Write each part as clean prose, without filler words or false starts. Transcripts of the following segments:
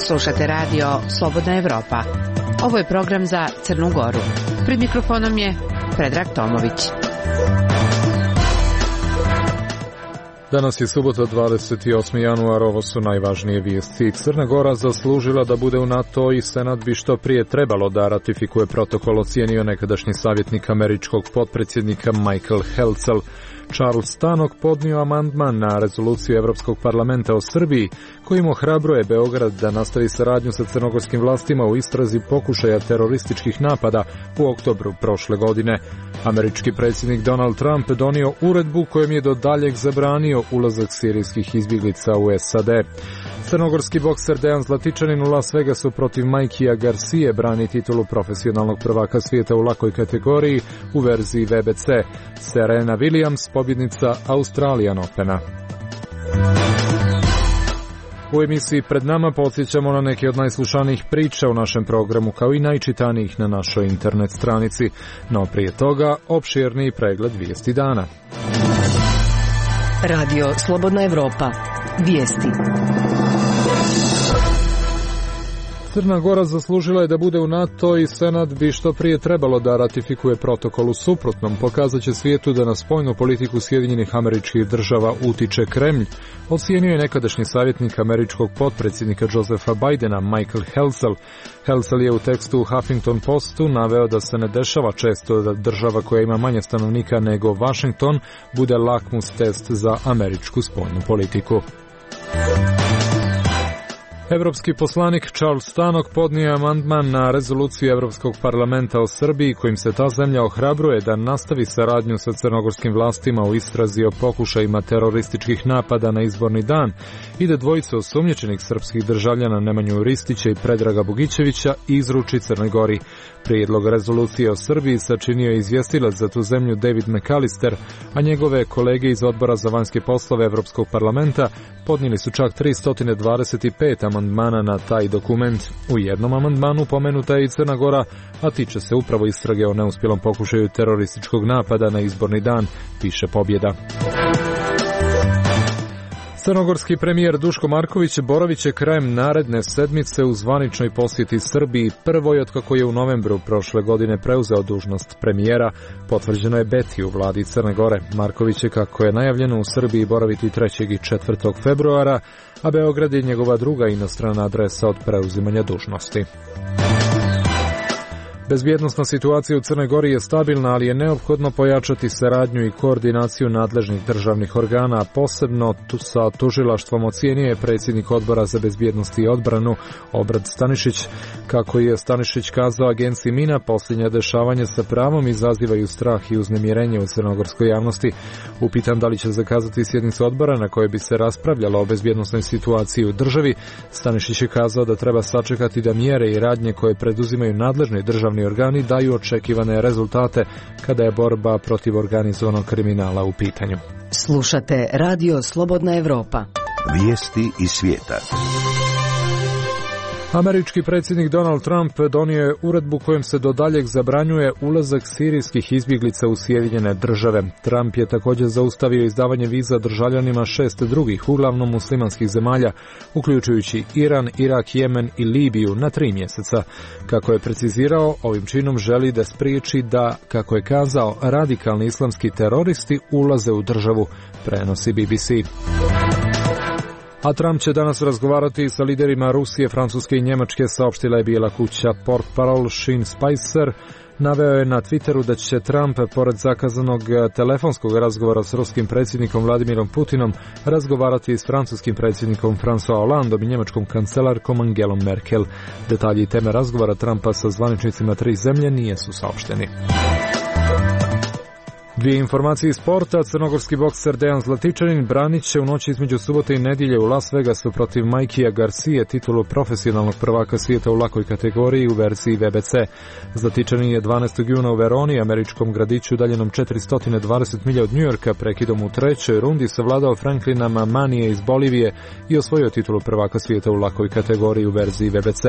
Slušate radio Slobodna Evropa. Ovo je program za Crnu Goru. Pred mikrofonom je Predrag Tomović. Danas je subota 28. januar, ovo su najvažnije vijesti. Crna Gora zaslužila da bude u NATO i Senat bi što prije trebalo da ratifikuje protokol, ocijenio nekadašnji savjetnik američkog potpredsjednika Michael Helcel. Charles Tannock podnio amandman na rezoluciju Evropskog parlamenta o Srbiji, kojim ohrabruje Beograd da nastavi saradnju sa crnogorskim vlastima u istrazi pokušaja terorističkih napada u oktobru prošle godine. Američki predsjednik Donald Trump donio uredbu kojom je do daljeg zabranio ulazak sirijskih izbjeglica u SAD. Crnogorski bokser Dejan Zlatičanin u Las Vegasu protiv Mikea Garcije brani titulu profesionalnog prvaka svijeta u lakoj kategoriji u verziji VBC. Serena Williams, pobjednica Australian Opena. U emisiji Pred nama podsjećamo na neke od najslušanijih priča u našem programu, kao i najčitanijih na našoj internet stranici. No prije toga, opširni pregled vijesti dana. Radio Slobodna Evropa. Vijesti. Crna Gora zaslužila je da bude u NATO i Senat bi što prije trebalo da ratifikuje protokol. U suprotnom pokazat će svijetu da na spoljnu politiku Sjedinjenih Američkih Država utiče Kremlj, ocijenio je nekadašnji savjetnik američkog potpredsjednika Josepha Bidena Michael Helcel. Helcel je u tekstu u Huffington Postu naveo da se ne dešava često da država koja ima manje stanovnika nego Washington bude lakmus test za američku spoljnu politiku. Evropski poslanik Charles Tannock podnio je amandman na rezoluciju Evropskog parlamenta o Srbiji, kojim se ta zemlja ohrabruje da nastavi saradnju sa crnogorskim vlastima u istrazi o pokušajima terorističkih napada na izborni dan i da dvojica osumnjičenih srpskih državljana Nemanju Ristića i Predraga Bogićevića izruči Crnoj Gori. Prijedlog rezolucije o Srbiji sačinio je izvjestilac za tu zemlju David McAllister, a njegove kolege iz Odbora za vanjske poslove Evropskog parlamenta podnijeli su čak 325 amandmana na taj dokument. U jednom amandmanu pomenuta je i Crna Gora, a tiče se upravo istrage o neuspjelom pokušaju terorističkog napada na izborni dan, piše Pobjeda. Crnogorski premijer Duško Marković boravit će krajem naredne sedmice u zvaničnoj posjeti Srbiji, prvoj otkako je u novembru prošle godine preuzeo dužnost premijera. Potvrđeno je Beti u vladi Crne Gore. Marković je, kako je najavljeno, u Srbiji boraviti 3. i 4. februara, a Beograd je njegova druga inostrana adresa od preuzimanja dužnosti. Bezbjednosna situacija u Crnoj Gori je stabilna, ali je neophodno pojačati saradnju i koordinaciju nadležnih državnih organa, posebno sa tužilaštvom, ocijenio je predsjednik Odbora za bezbjednost i odbranu Obrad Stanišić. Kako je Stanišić kazao agenciji Mina, posljednja dešavanja sa pravom izazivaju strah i uznemirenje u crnogorskoj javnosti. Upitan da li će zakazati sjednicu odbora na kojoj bi se raspravljalo o bezbjednosnoj situaciji u državi, Stanišić je kazao da treba sačekati da mjere i radnje koje preduzimaju nadležni državni organi daju očekivane rezultate kada je borba protiv organizovanog kriminala u pitanju. Slušate Radio Slobodna Evropa. Vijesti iz svijeta. Američki predsjednik Donald Trump donio je uredbu kojom se do daljeg zabranjuje ulazak sirijskih izbjeglica u Sjedinjene Države. Trump je također zaustavio izdavanje viza državljanima 6 drugih, uglavnom muslimanskih zemalja, uključujući Iran, Irak, Jemen i Libiju na 3 mjeseca. Kako je precizirao, ovim činom želi da spriječi da, kako je kazao, radikalni islamski teroristi ulaze u državu, prenosi BBC. A Trump će danas razgovarati sa liderima Rusije, Francuske i Njemačke, saopštila je Bijela kuća. Portparol Sean Spicer naveo je na Twitteru da će Trump, pored zakazanog telefonskog razgovora s ruskim predsjednikom Vladimirom Putinom, razgovarati i s francuskim predsjednikom François Hollandom i njemačkom kancelarkom Angelom Merkel. Detalji i teme razgovora Trumpa sa zvaničnicima 3 zemlje nisu saopšteni. Dvije informacije iz sporta. Crnogorski bokser Dejan Zlatičanin branit će u noći između subote i nedjelje u Las Vegasu protiv Mikea Garcije titulu profesionalnog prvaka svijeta u lakoj kategoriji u verziji VBC. Zlatičanin je 12. juna u Veroni, američkom gradiću udaljenom 420 milja od Njujorka, prekidom u 3. rundi savladao Franklina Mamanije iz Bolivije i osvojio titulu prvaka svijeta u lakoj kategoriji u verziji VBC.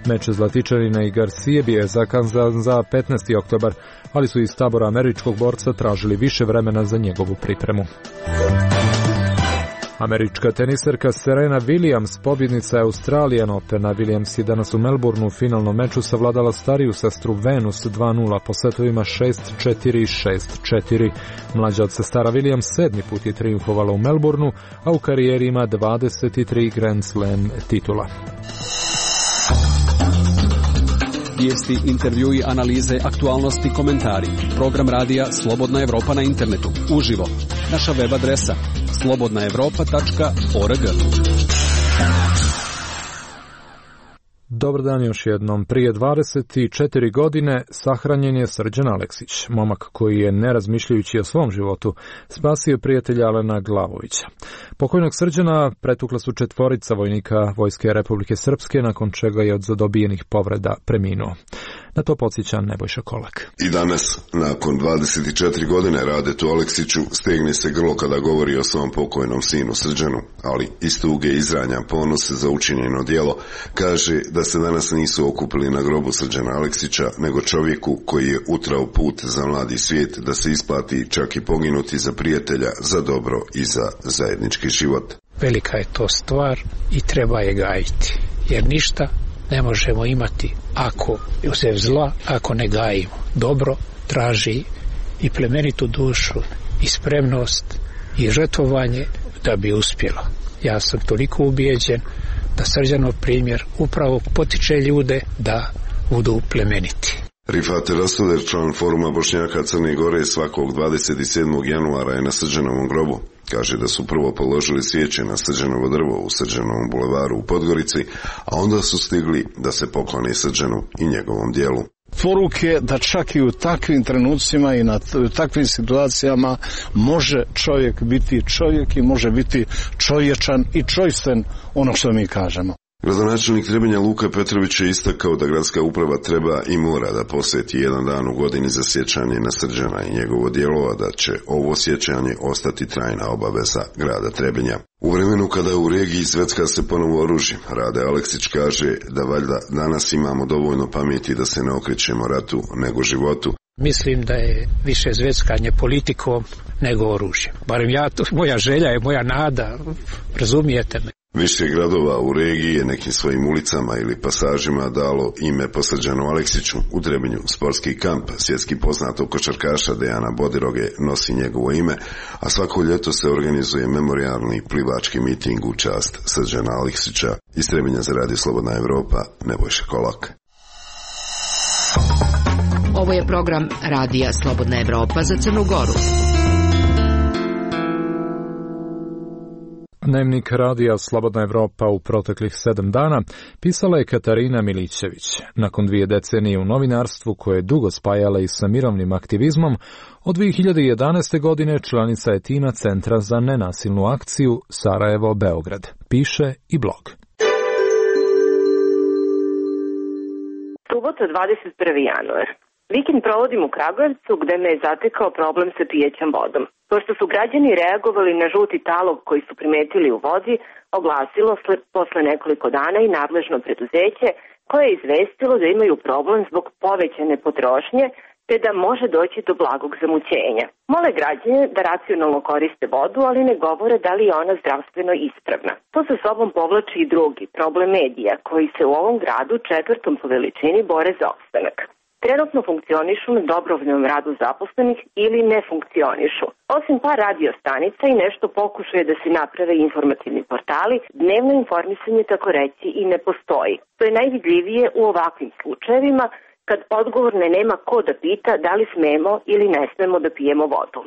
Meč Zlatičanina i Garcije bio je zakazan za 15. oktobar, ali su iz tabora američkog borca tražili više vremena za njegovu pripremu. Američka teniserka Serena Williams, pobjednica Australian Opena. Williams je danas u Melbourneu u finalnom meču savladala stariju sestru Venus 2-0 po setovima 6-4 i 6-4. Mlađa od sestara Williams 7. put je triumfovala u Melbourneu, a u karijeri ima 23 Grand Slam titula. Vijesti, intervjui, analize, aktualnosti, komentari. Program radija Slobodna Evropa na internetu. Uživo. Naša web adresa slobodnaevropa.org. Dobar dan još jednom. Prije 24 godine sahranjen je Srđan Aleksić, momak koji je, ne razmišljajući o svom životu, spasio prijatelja Alena Glavovića. Pokojnog Srđana pretukla su 4 vojnika Vojske Republike Srpske, nakon čega je od zadobijenih povreda preminuo. Na to podsjeća Nebojša Kolak. I danas, nakon 24 godine Radetu Aleksiću, stegne se grlo kada govori o svom pokojnom sinu Srđanu, ali iz tuge izranja ponos za učinjeno djelo, kaže da se danas nisu okupili na grobu Srđana Aleksića, nego čovjeku koji je utrao put za mladi svijet da se isplati čak i poginuti za prijatelja, za dobro i za zajednički život. Velika je to stvar i treba je gajiti, jer ništa ne možemo imati ako uzev zla, ako ne gajimo. Dobro traži i plemenitu dušu i spremnost i žrtvovanje da bi uspjelo. Ja sam toliko ubijeđen da Srđanov primjer upravo potiče ljude da budu plemeniti. Rifat Rastoder, član foruma Bošnjaka Crne Gore, svakog 27. januara je na Srđanovom grobu. Kaže da su prvo položili svijeće na Srđanovo drvo u Srđanovom bulevaru u Podgorici, a onda su stigli da se poklone Srđanu i njegovom dijelu. Poruke da čak i u takvim trenucima i u takvim situacijama može čovjek biti čovjek i može biti čovječan i čojstven, ono što mi kažemo. Gradonačelnik Trebinja Luka Petrović je istakao da gradska uprava treba i mora da posveti jedan dan u godini za sjećanje na Srđana i njegovo djelo, a da će ovo sjećanje ostati trajna obaveza grada Trebinja. U vremenu kada u regiji zvecka se ponovo oružje, Rade Aleksić kaže da valjda danas imamo dovoljno pameti da se ne okrećemo ratu nego životu. Mislim da je više zveckanje politikom nego oružjem. Barem ja, moja želja je, moja nada, razumijete me. Više gradova u regiji je nekim svojim ulicama ili pasažima dalo ime po Srđanu Aleksiću. U Trebinju sportski kamp svjetski poznatog košarkaša Dejana Bodiroge nosi njegovo ime, a svako ljeto se organizuje memorijalni plivački miting u čast Srđana Aleksića. Iz Trebinja za Radio Slobodna Evropa, Nebojša Kolak. Ovo je program Radija Slobodna Evropa za Crnu Goru. Dnevnik Radija Slobodna Evropa u proteklih 7 dana pisala je Katarina Milićević. Nakon 2 decenije u novinarstvu koje je dugo spajala i sa mirovnim aktivizmom, od 2011. godine članica je tima Centra za nenasilnu akciju Sarajevo-Beograd. Piše i blog. Subota 21. januar. Vikend provodim u Kragujevcu gde me je zatekao problem sa pijećom vodom. Pošto su građani reagovali na žuti talog koji su primetili u vodi, oglasilo posle nekoliko dana i nadležno preduzeće koje je izvestilo da imaju problem zbog povećane potrošnje te da može doći do blagog zamućenja. Mole građane da racionalno koriste vodu, ali ne govore da li je ona zdravstveno ispravna. To sa sobom povlači i drugi problem medija koji se u ovom gradu 4. po veličini bore za opstanak. Trenutno funkcionišu na dobrovoljnom radu zaposlenih ili ne funkcionišu. Osim par radio stanica i nešto pokušaje da se naprave informativni portali, dnevno informisanje tako reći i ne postoji. To je najvidljivije u ovakvim slučajevima kad odgovorne nema ko da pita da li smemo ili ne smemo da pijemo vodu.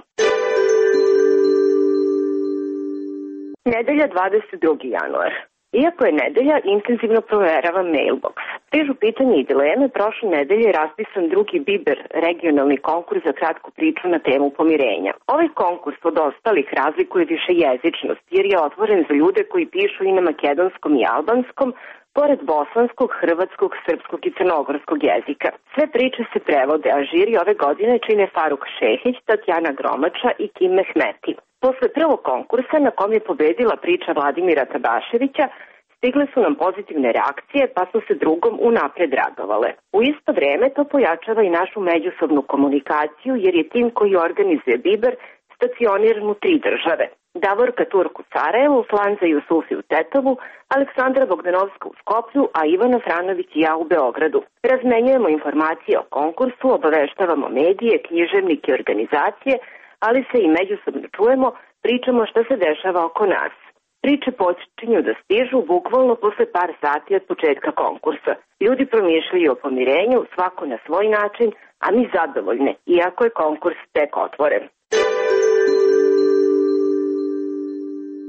Nedelja 22. januar. Iako je nedelja, intenzivno proveravam mailbox. Stižu pitanje i dileme, prošle nedelje je raspisan drugi Biber, regionalni konkurs za kratku priču na temu pomirenja. Ovaj konkurs od ostalih razlikuje više jezičnost, jer je otvoren za ljude koji pišu i na makedonskom i albanskom, pored bosanskog, hrvatskog, srpskog i crnogorskog jezika. Sve priče se prevode, a žiri ove godine čine Faruk Šehić, Tatjana Gromača i Kim Mehmeti. Posle prvog konkursa na kom je pobedila priča Vladimira Tabaševića, Stigle su nam pozitivne reakcije, pa su se drugom unapred radovale. U isto vreme to pojačava i našu međusobnu komunikaciju, jer je tim koji organizuje biber stacioniran u 3 države. Davorka Turk u Sarajevu, Flanza Jusufi u Tetovu, Aleksandra Bogdanovska u Skoplju, a Ivana Franović i ja u Beogradu. Razmenjujemo informacije o konkursu, obaveštavamo medije, književnike i organizacije, ali se i međusobno čujemo, pričamo šta se dešava oko nas. Priče počinju da stižu bukvalno posle par sati od početka konkursa. Ljudi promišljaju o pomirenju, svako na svoj način, a mi zadovoljne, iako je konkurs tek otvoren.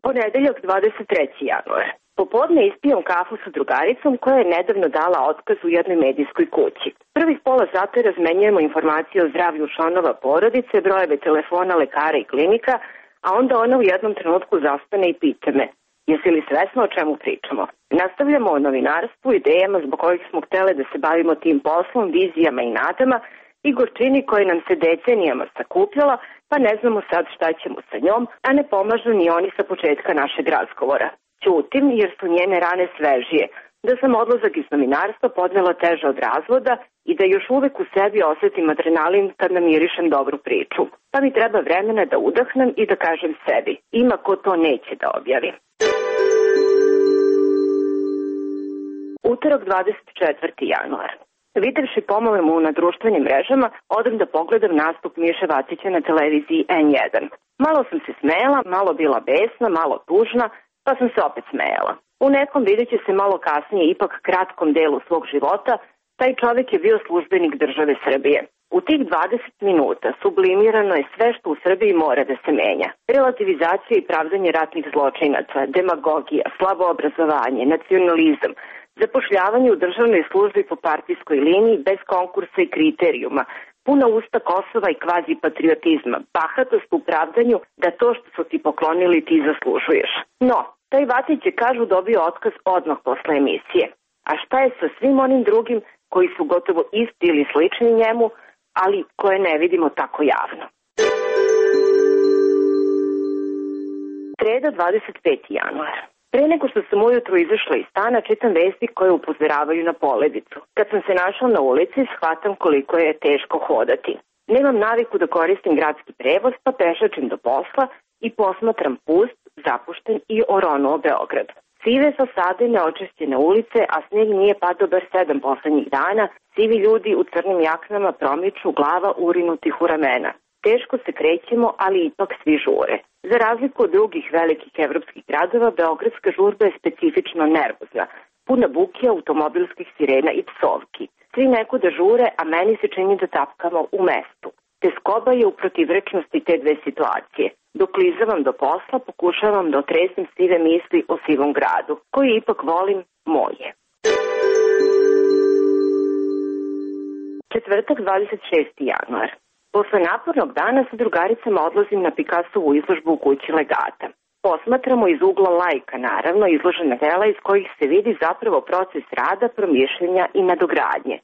Ponedeljak 23. januar. Popodne ispijam kafu sa drugaricom koja je nedavno dala otkaz u jednoj medijskoj kući. Prvih pola sata razmenjujemo informacije o zdravlju članova porodice, brojeve telefona lekara i klinika, a onda ona u jednom trenutku zastane i pita me: jesi li svesna o čemu pričamo? Nastavljamo o novinarstvu, idejama zbog kojih smo htele da se bavimo tim poslom, vizijama i nadama i gorčini koje nam se decenijama sakupljala, pa ne znamo sad šta ćemo sa njom, a ne pomažu ni oni sa početka našeg razgovora. Ćutim jer su njene rane svežije, da sam odlazak iz novinarstva podnela teže od razvoda i da još uvek u sebi osetim adrenalin kad namirišem dobru priču. Pa mi treba vremena da udahnem i da kažem sebi: ima ko to neće da objavi. Utorak 24. januar. Videvši pomolemu na društvenim mrežama, odem da pogledam nastup Miše Vacića na televiziji N1. Malo sam se smejala, malo bila besna, malo tužna, pa sam se opet smejala. U nekom videće se malo kasnije, ipak kratkom delu svog života, taj čovjek je bio službenik države Srbije. U tih 20 minuta sublimirano je sve što u Srbiji mora da se menja. Relativizacija i pravdanje ratnih zločinaca, demagogija, slabo obrazovanje, nacionalizam, zapošljavanje u državnoj službi po partijskoj liniji bez konkursa i kriterijuma, puna usta Kosova i kvazi patriotizma, bahatost u pravdanju da to što su ti poklonili ti zaslužuješ. No, taj Vatić je, kažu, dobio otkaz odmah posle emisije. A šta je sa svim onim drugim koji su gotovo isti ili slični njemu, ali koje ne vidimo tako javno? Sreda 25. januar. Pre nego što sam ujutru izašla iz stana, čitam vesti koje upozoravaju na poledicu. Kad sam se našla na ulici, shvatam koliko je teško hodati. Nemam naviku da koristim gradski prevoz, pa pešačim do posla i posmatram pust, zapušten i oronuo Beograd. Sive fasade, neočišćene ulice, a sneg nije padao bar 7 poslednjih dana, sivi ljudi u crnim jaknama promiču, glava urinutih u ramena. Teško se krećemo, ali ipak svi žure. Za razliku od drugih velikih evropskih gradova, beogradska žurba je specifično nervozna, puna buke, automobilskih sirena i psovki. Svi nekuda žure, a meni se čini da tapkamo u mestu. Teskoba je u protivrečnosti te dve situacije. Dok klizavam do posla, pokušavam da otresem sive misli o sivom gradu, koji ipak volim, moje. Četvrtak 26. januar. Posle napornog dana sa drugaricama odlazim na Picassovu izložbu u kući Legata. Posmatramo iz ugla laika, naravno, izložena dela iz kojih se vidi zapravo proces rada, promišljenja i nadogradnje.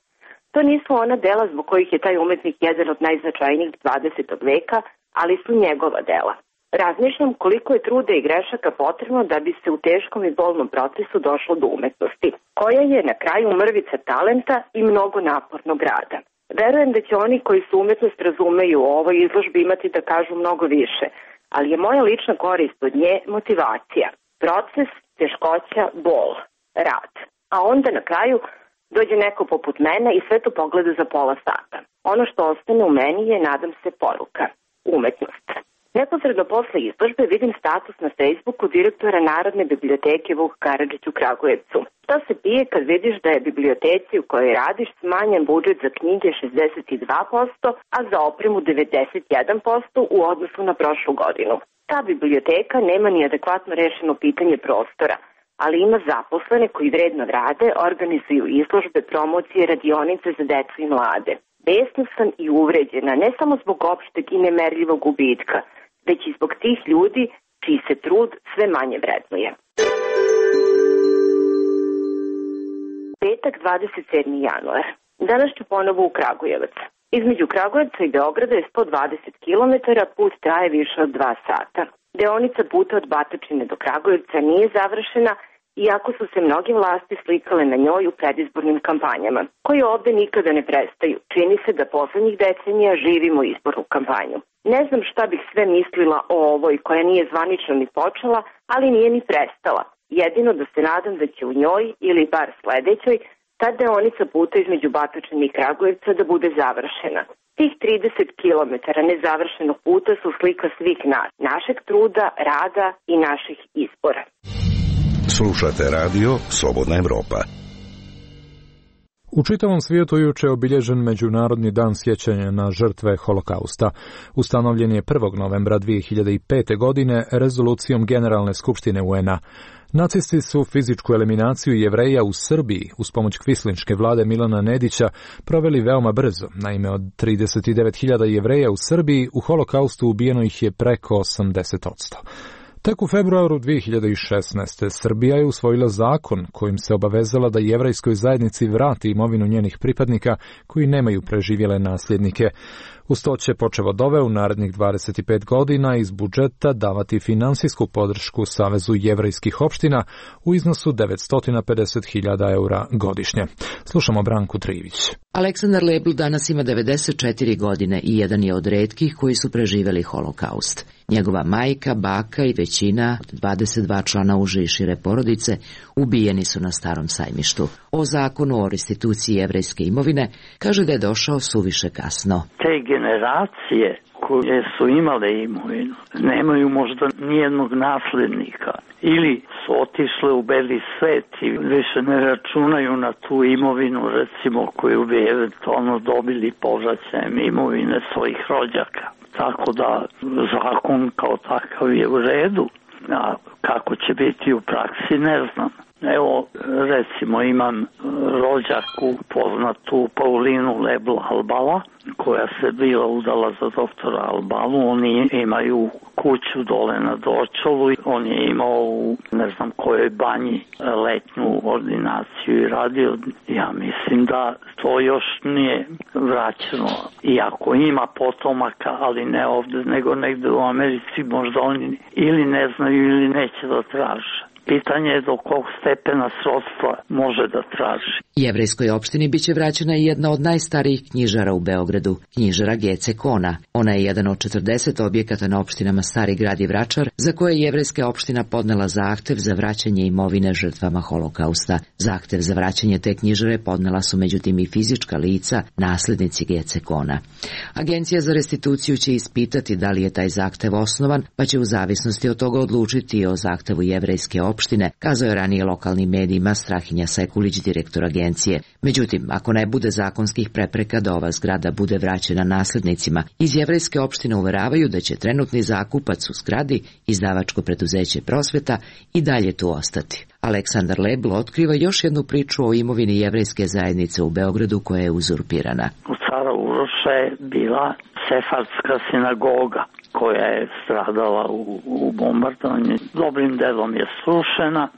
To nisu ona dela zbog kojih je taj umetnik jedan od najznačajnijih 20. veka, ali su njegova dela. Razmišljam koliko je truda i grešaka potrebno da bi se u teškom i bolnom procesu došlo do umetnosti, koja je na kraju mrvica talenta i mnogo napornog rada. Verujem da će oni koji su umetnost razumeju o ovoj izložbi imati da kažu mnogo više, ali je moja lična korist od nje motivacija, proces, teškoća, bol, rad. A onda na kraju dođe neko poput mene i sve to pogleda za pola sata. Ono što ostane u meni je, nadam se, poruka, umetnost. Neposredno posle izložbe vidim status na Facebooku direktora Narodne biblioteke Vuk Karadžić u Kragujevcu. Šta se pije kad vidiš da je biblioteci u kojoj radiš smanjen budžet za knjige 62%, a za opremu 91% u odnosu na prošlu godinu. Ta biblioteka nema ni adekvatno rešeno pitanje prostora, ali ima zaposlene koji vredno rade, organizuju izložbe, promocije, radionice za decu i mlade. Besna sam i uvređena, ne samo zbog opšteg i nemerljivog gubitka, već i zbog tih ljudi čiji se trud sve manje vrednuje. Petak 27. januar. Danas ću ponovo u Kragujevac. Između Kragujevca i Beograda je 120 km, put traje više od 2 sata. Deonica puta od Batočine do Kragujevca nije završena iako su se mnoge vlasti slikale na njoj u predizbornim kampanjama, koje ovde nikada ne prestaju. Čini se da poslednjih decenija živimo izbornu kampanju. Ne znam šta bih sve mislila o ovoj koja nije zvanično ni počela, ali nije ni prestala. Jedino da se nadam da će u njoj, ili bar sledećoj, ta deonica puta između Batočine i Kragujevca da bude završena. Tih 30 kilometara nezavršenog puta su slika svih nas, našeg truda, rada i naših izbora. Slušate radio Slobodna Evropa. U čitavom svijetu juče je obilježen Međunarodni dan sjećanja na žrtve Holokausta. Ustanovljen je 1. novembra 2005. godine rezolucijom Generalne skupštine UN-a. Nacisti su fizičku eliminaciju Jevreja u Srbiji uz pomoć kvislinške vlade Milana Nedića proveli veoma brzo. Naime, od 39.000 Jevreja u Srbiji u Holokaustu ubijeno ih je preko 80%. Tek u februaru 2016. Srbija je usvojila zakon kojim se obavezala da jevrejskoj zajednici vrati imovinu njenih pripadnika koji nemaju preživjele nasljednike. Uz to će počev od ove u narednih 25 godina iz budžeta davati finansijsku podršku Savezu jevrejskih opština u iznosu 950.000 eura godišnje. Slušamo Branku Trivić. Aleksandar Lebl danas ima 94 godine i jedan je od retkih koji su preživjeli Holokaust. Njegova majka, baka i većina 22 člana uže i šire porodice ubijeni su na Starom sajmištu. O zakonu o restituciji jevrejske imovine kaže da je došao suviše kasno. Te generacije koje su imale imovinu nemaju možda nijednog naslednika ili su otišle u beli svet i više ne računaju na tu imovinu, recimo, koju bi eventualno dobili povraćajem imovine svojih rođaka. Tako da zakon kao takav je u redu, a kako će biti u praksi ne znam. Evo, recimo, imam rođaku poznatu Paulinu Lebl Albala, koja se bila udala za doktora Albalu. Oni imaju kuću dole na Dorčolu. On je imao u ne znam kojoj banji letnju ordinaciju i radio. Ja mislim da to još nije vraćeno. Iako ima potomaka, ali ne ovde, nego negde u Americi, možda oni ili ne znaju ili neće da traže. Pitanje je do kog stepena srodstva može da traži. Jevrejskoj opštini biće vraćena i jedna od najstarijih knjižara u Beogradu, knjižara Gece Kona. Ona je jedan od 40 objekata na opštinama Stari Grad i Vračar, za koje je jevrejska opština podnela zahtev za vraćanje imovine žrtvama Holokausta. Zahtev za vraćanje te knjižare podnela su međutim i fizička lica, naslednici Gece Kona. Agencija za restituciju će ispitati da li je taj zahtev osnovan, pa će u zavisnosti od toga odlučiti o zahtevu jevrejske opštine, kazao je ranije lokalnim medijima Strahinja Sekulić, direktor agencije. Međutim, ako ne bude zakonskih prepreka da ova zgrada bude vraćena naslednicima, iz jevrejske opštine uveravaju da će trenutni zakupac u zgradi, izdavačko preduzeće Prosveta, i dalje tu ostati. Aleksandar Lebl otkriva još jednu priču o imovini jevrejske zajednice u Beogradu koja je uzurpirana. U Cara Uroša je bila sefardska sinagoga koja je stradala u bombardovanju. Dobrim delom je srušena,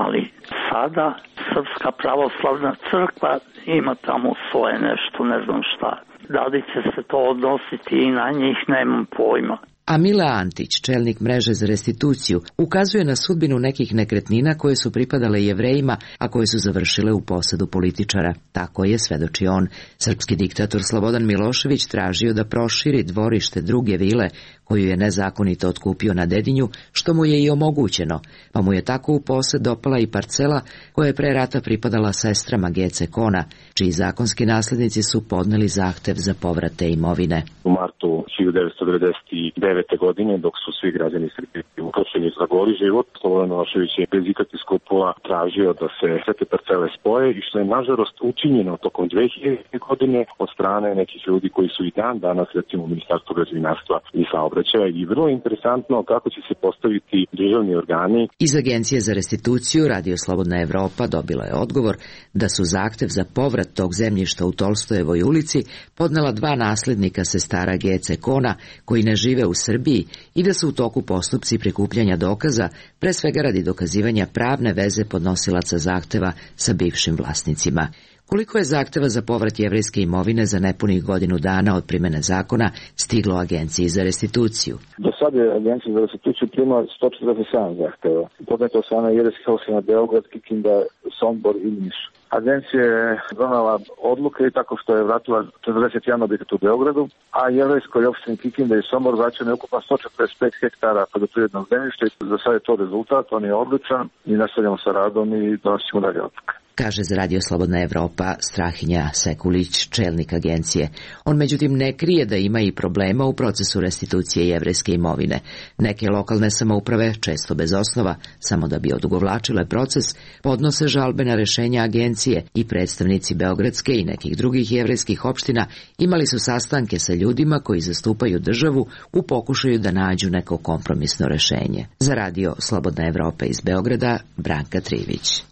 ali sada Srpska pravoslavna crkva ima tamo svoje nešto, ne znam šta. Da li će se to odnositi i na njih, nemam pojma. A Mila Antić, čelnik mreže za restituciju, ukazuje na sudbinu nekih nekretnina koje su pripadale Jevrejima, a koje su završile u posedu političara. Tako je, svedoči on. Srpski diktator Slobodan Milošević tražio da proširi dvorište druge vile, koju je nezakonito otkupio na Dedinju, što mu je i omogućeno, pa mu je tako u posed dopala i parcela koja je pre rata pripadala sestrama Gece Kona, čiji zakonski naslednici su podneli zahtev za povrat te imovine. U martu 1999. godine, dok su svi građani Srbije uhapšeni za goli život, Slobodan Milošević je bez ikakvih skrupula tražio da se sve te parcele spoje, i što je nažalost učinjeno tokom 2000. godine od strane nekih ljudi koji su i dan danas, recimo, u Ministarstvu građevinarstva i saobraćaja, i vrlo interesantno kako će se postaviti državni organi. Iz Agencije za restituciju Radio Slobodna Evropa dobila je odgovor da su zahtev za povrat tog zemljišta u Tolstojevoj ulici podnela dva naslednika sestara Gece Kona koji ne žive u Srbiji i da su u toku postupci prikupljanja dokaza, pre svega radi dokazivanja pravne veze podnosilaca zahteva sa bivšim vlasnicima. Koliko je zahteva za povrat jevrejske imovine za nepunih godinu dana od primene zakona stiglo Agenciji za restituciju? Do sada je Agencija za restituciju ima 147 zahteva. Podneto od strane jevrejskih opština Beograd, Kikinda, Sombor i Niš. Agencija je donala odluke i tako što je vratila 41 objekat u Beogradu, a jevrejskoj opštini Kikinda i Sombor vraćeno je ukupno 145 hektara poljoprivrednog zemljišta i za sad je to rezultat, on je odličan i nastavljamo sa radom i donosimo dalje odluke. Kaže za Radio Slobodna Evropa Strahinja Sekulić, čelnik agencije. On međutim ne krije da ima i problema u procesu restitucije jevrejske imovine. Neke lokalne samouprave, često bez osnova, samo da bi odugovlačile proces, podnose žalbe na rešenja agencije i predstavnici beogradske i nekih drugih jevrejskih opština imali su sastanke sa ljudima koji zastupaju državu u pokušaju da nađu neko kompromisno rešenje. Za Radio Slobodna Evropa iz Beograda, Branka Trivić.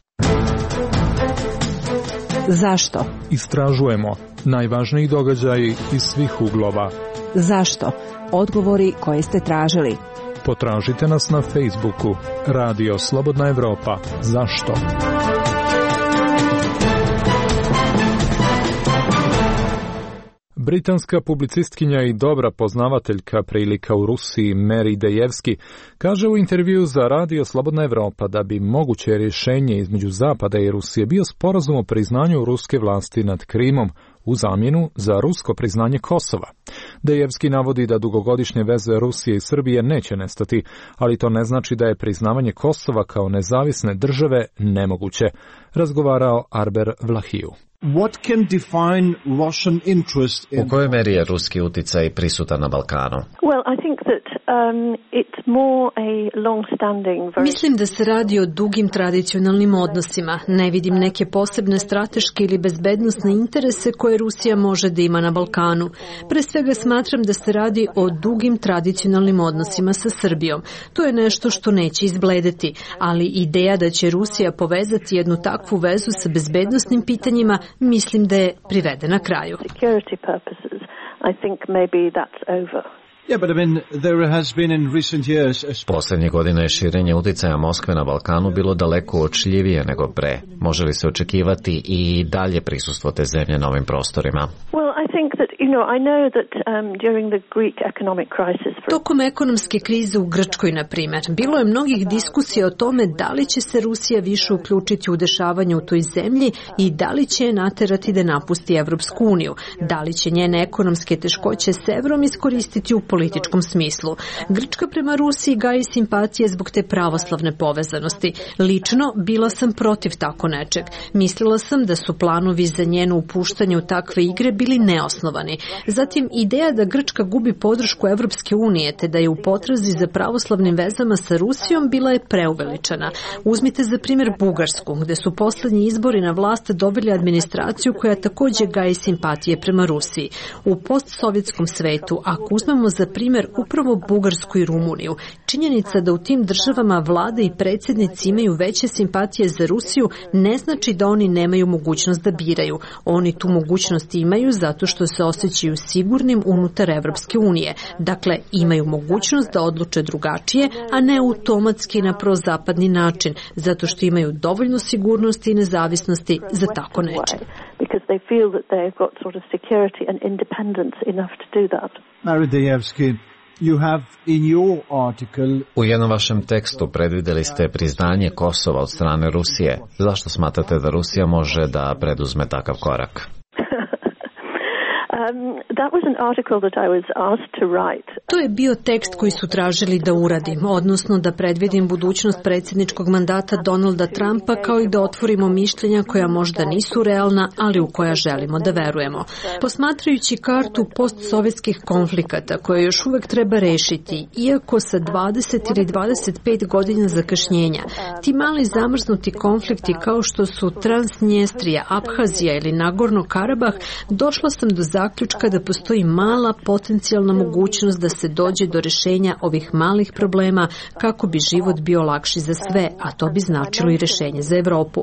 Zašto? Istražujemo najvažniji događaji iz svih uglova. Zašto? Odgovori koje ste tražili. Potražite nas na Facebooku Radio Slobodna Evropa. Zašto? Britanska publicistkinja i dobra poznavateljka prilika u Rusiji Mary Dejevski kaže u intervju za Radio Slobodna Evropa da bi moguće rješenje između Zapada i Rusije bio sporazum o priznanju ruske vlasti nad Krimom u zamjenu za rusko priznanje Kosova. Dejevski navodi da dugogodišnje veze Rusije i Srbije neće nestati, ali to ne znači da je priznavanje Kosova kao nezavisne države nemoguće, razgovarao Arber Vlahiju. U kojoj meri je ruski uticaj prisutan na Balkanu? Mislim da se radi o dugim tradicionalnim odnosima. Ne vidim neke posebne strateške ili bezbednosne interese koje Rusija može da ima na Balkanu. Pre svega smatram da se radi o dugim tradicionalnim odnosima sa Srbijom. To je nešto što neće izbledeti, ali ideja da će Rusija povezati jednu takvu vezu sa bezbednosnim pitanjima mislim da je privedena kraju. Posljednjih godina je širenje uticaja Moskve na Balkanu bilo daleko uočljivije nego pre. Može li se očekivati i dalje prisustvo te zemlje na ovim prostorima? Tokom ekonomske krize u Grčkoj, na primjer, bilo je mnogih diskusija o tome da li će se Rusija više uključiti u dešavanje u toj zemlji i da li će je naterati da napusti Evropsku uniju, da li će njene ekonomske teškoće severom iskoristiti u političkom smislu. Grčka prema Rusiji gaji simpatije zbog te pravoslavne povezanosti. Lično, bila sam protiv tako nečeg. Mislila sam da su planovi za njeno upuštanje u takve igre bili neosnovani. Zatim, ideja da Grčka gubi podršku Evropske unije te da je u potrazi za pravoslavnim vezama sa Rusijom bila je preuveličana. Uzmite za primjer Bugarsku, gde su poslednji izbori na vlast dobili administraciju koja takođe gaji simpatije prema Rusiji. U postsovjetskom svetu, ako uzmemo za primjer upravo Bugarsku i Rumuniju, činjenica da u tim državama vlade i predsjednici imaju veće simpatije za Rusiju ne znači da oni nemaju mogućnost da biraju. Oni tu mogućnost imaju zato što se osjećaju sigurnim unutar Evropske unije. Dakle, imaju mogućnost da odluče drugačije, a ne automatski na prozapadni način, zato što imaju dovoljno sigurnosti i nezavisnosti za tako neče. U jednom vašem tekstu predvidjeli ste priznanje Kosova od strane Rusije. Zašto smatrate da Rusija može da preduzme takav korak? To je bio tekst koji su tražili da uradim, odnosno da predvidim budućnost predsjedničkog mandata Donalda Trumpa, kao i da otvorimo mišljenja koja možda nisu realna, ali u koja želimo da verujemo. Posmatrajući kartu postsovjetskih konflikata koje još uvek treba rešiti, iako sa 20 ili 25 godina zakašnjenja, ti mali zamrznuti konflikti kao što su Transnjestrija, Abhazija ili Nagorno Karabah, došla sam do zaključka da postoji mala potencijalna mogućnost da se dođe do rešenja ovih malih problema kako bi život bio lakši za sve, a to bi značilo i rešenje za Evropu.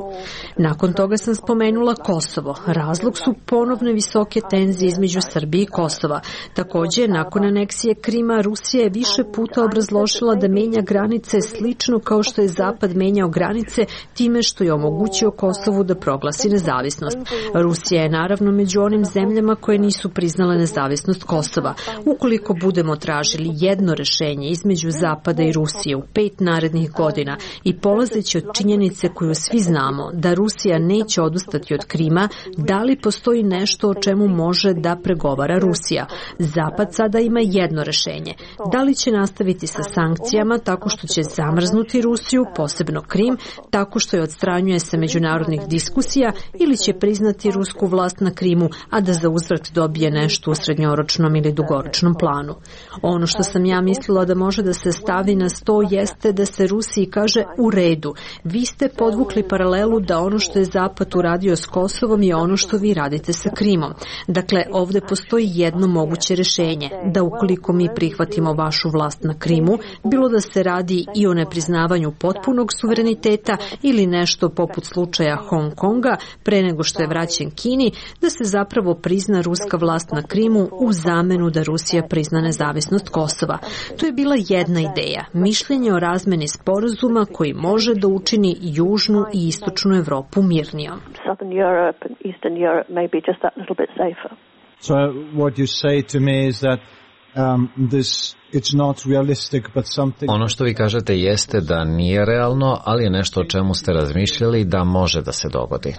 Nakon toga sam spomenula Kosovo. Razlog su ponovne visoke tenzije između Srbije i Kosova. Takođe, nakon aneksije Krima, Rusija je više puta obrazložila da menja granice slično kao što je Zapad menjao granice time što je omogućio Kosovu da proglasi nezavisnost. Rusija je naravno među onim zemljama koje nisu nisu priznale nezavisnost Kosova. Ukoliko budemo tražili jedno rešenje između Zapada i Rusije u 5 narednih godina i polazeći od činjenice koju svi znamo da Rusija neće odustati od Krima, da li postoji nešto o čemu može da pregovara Rusija? Zapad sada ima jedno rešenje. Da li će nastaviti sa sankcijama tako što će zamrznuti Rusiju, posebno Krim, tako što je odstranjuje sa međunarodnih diskusija, ili će priznati rusku vlast na Krimu, a da za uzvrat dobije nešto u srednjoročnom ili dugoročnom planu. Ono što sam ja mislila da može da se stavi na sto jeste da se Rusiji kaže u redu. Vi ste podvukli paralelu da ono što je Zapad uradio s Kosovom je ono što vi radite sa Krimom. Dakle, ovde postoji jedno moguće rešenje, da ukoliko mi prihvatimo vašu vlast na Krimu, bilo da se radi i o nepriznavanju potpunog suvereniteta ili nešto poput slučaja Hong Konga pre nego što je vraćen Kini, da se zapravo prizna ruska vlast na Krimu u zamenu da Rusija prizna nezavisnost Kosova. To je bila jedna ideja, mišljenje o razmeni sporazuma koji može da učini južnu i istočnu Evropu mirnijom. So what you say to me is that it's not realistic, but something... Ono što vi kažete jeste da nije realno, ali je nešto o čemu ste razmišljali da može da se dogodi.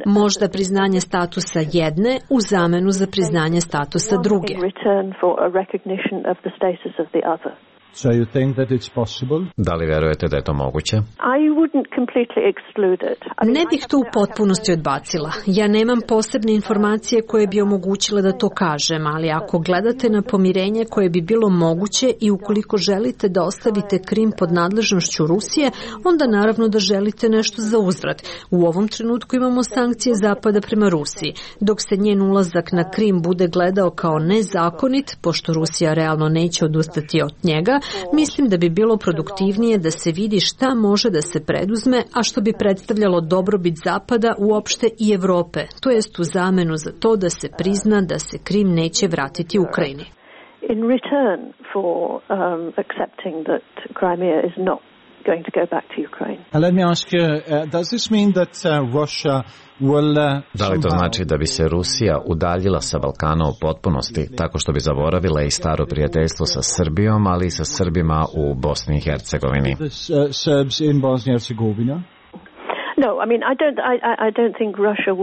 Možda priznanje statusa jedne u zamenu za priznanje statusa druge. So you think that it's possible? Da li verujete da je to moguće? Ne bih to u potpunosti odbacila. Ja nemam posebne informacije koje bi omogućile da to kažem, ali ako gledate na pomirenje koje bi bilo moguće i ukoliko želite da ostavite Krim pod nadležnošću Rusije, onda naravno da želite nešto za uzvrat. U ovom trenutku imamo sankcije Zapada prema Rusiji. Dok se njen ulazak na Krim bude gledao kao nezakonit, pošto Rusija realno neće odustati od njega, mislim da bi bilo produktivnije da se vidi šta može da se preduzme, a što bi predstavljalo dobrobit Zapada uopšte i Evrope, to jest u zamenu za to da se prizna da se Krim neće vratiti Ukrajini. In return for accepting that Crimea is not going to go back to Ukraine. Let me ask you, does this mean that Russia will Da li to znači da bi se Rusija udaljila sa Balkana u potpunosti, tako što bi zaboravila i staro prijateljstvo sa Srbijom, ali i sa Srbima u Bosni i Hercegovini? Serbs in Bosnia and Herzegovina? No, I mean, I don't think Russia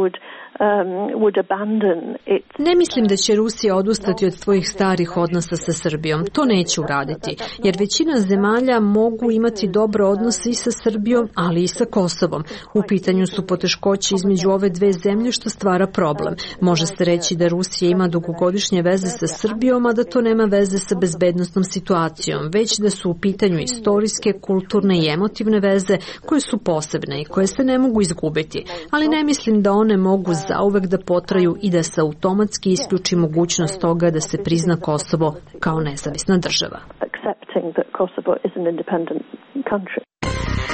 would abandon it. Ne mislim da će Rusija odustati od svojih starih odnosa sa Srbijom. To neće uraditi, jer većina zemalja mogu imati dobre odnose i sa Srbijom, ali i sa Kosovom. U pitanju su poteškoće između ove dve zemlje što stvara problem. Može se reći da Rusija ima dugogodišnje veze sa Srbijom, a da to nema veze sa bezbednosnom situacijom, već da su u pitanju istorijske, kulturne i emotivne veze koje su posebne i koje se ne mogu izgubiti. Ali ne mislim da one mogu zauvek da potraju i da se automatski isključi mogućnost toga da se prizna Kosovo kao nezavisna država.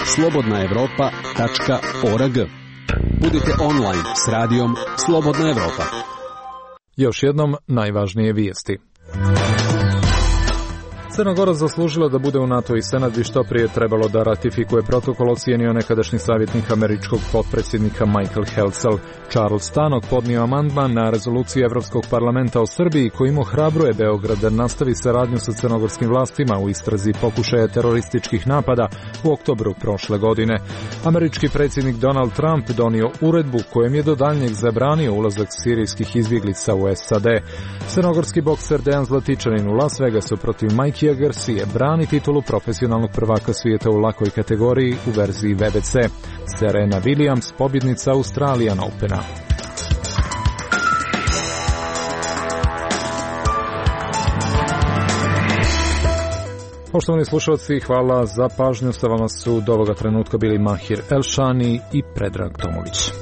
Slobodnaevropa.org. Budite online s radijom Slobodna Evropa. Još jednom najvažnije vijesti. Crna Gora zaslužila da bude u NATO i Senat bi što prije trebalo da ratifikuje protokol, ocijenio nekadašnji savjetnik američkog potpredsjednika Michael Helcel. Charles Tannock podnio amandman na rezoluciju Evropskog parlamenta o Srbiji kojim ohrabruje Beograd da nastavi saradnju sa crnogorskim vlastima u istrazi pokušaja terorističkih napada u oktobru prošle godine. Američki predsjednik Donald Trump donio uredbu kojem je do daljnjeg zabranio ulazak sirijskih izbjeglica u SAD. Crnogorski bokser Dejan Zlatičanin u Las Vegasu protiv Mikea Garcia brani titulu profesionalnog prvaka svijeta u lakoj kategoriji u verziji WBC. Serena Williams, pobjednica Australian Opena. Poštovani slušalci, hvala za pažnju. Sa vama su do ovoga trenutka bili Mahir Elšani i Predrag Tomović.